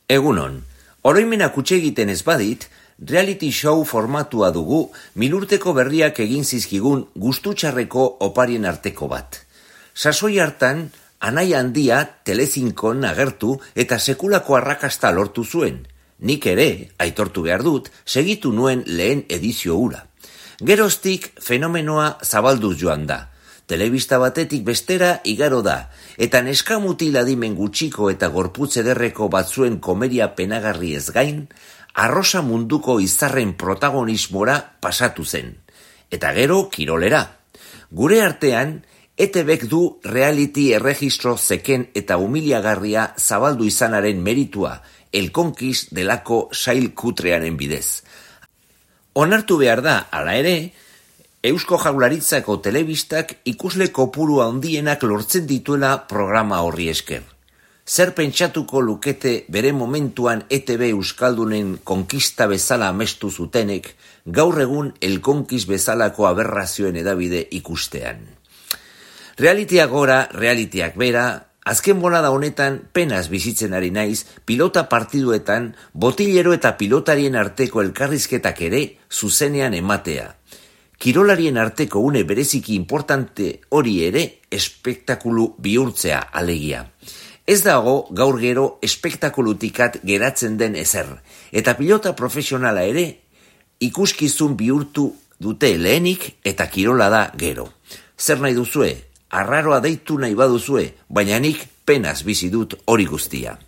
Egunon, oroimenak utxe egiten ez badit, reality show formatua dugu milurteko berriak egin zizkigun gustutxarreko oparien arteko bat. Sasoi hartan, anai handia Telezinkon agertu eta sekulako arrakasta lortu zuen. Nik ere, aitortu behar dut, segitu nuen lehen edizio hura. Geroztik fenomenoa zabalduz joan da. Telebista batetik bestera igaro da, eta neskamutil adimen gutxiko eta gorputz ederreko batzuen komeria penagarri ez gain, arrosa munduko izarren protagonismora pasatu zen. Eta gero kirolera. Gure artean, ETBek du reality erregistro zeken eta humiliagarria zabaldu izanaren meritua, El Conquist delako sail kutrearen bidez. Onartu behar da, hala ere, Eusko Jaurlaritzako telebistak ikusle kopuru handienak lortzen dituela programa horri esker. Zer pentsatuko lukete bere momentuan ETB Euskaldunen konkista bezala amestu zutenek, gaur egun El Conquist bezalako aberrazioen edabide ikustean. Realitiak gora, realitiak bera, azken bolada honetan penaz bizitzen ari naiz, pilota partiduetan, botillero eta pilotarien arteko elkarrizketak ere zuzenean ematea. Kirolarien arteko une bereziki importante hori ere espektakulu bihurtzea alegia. Ez dago gaur gero espektakulutikat geratzen den ezer, eta pilota profesionala ere ikuskizun bihurtu dute lehenik eta kirola da gero. Zer nahi duzue? Arraroa deitu nahi baduzue, baina nik penaz bizi dut hori guztia.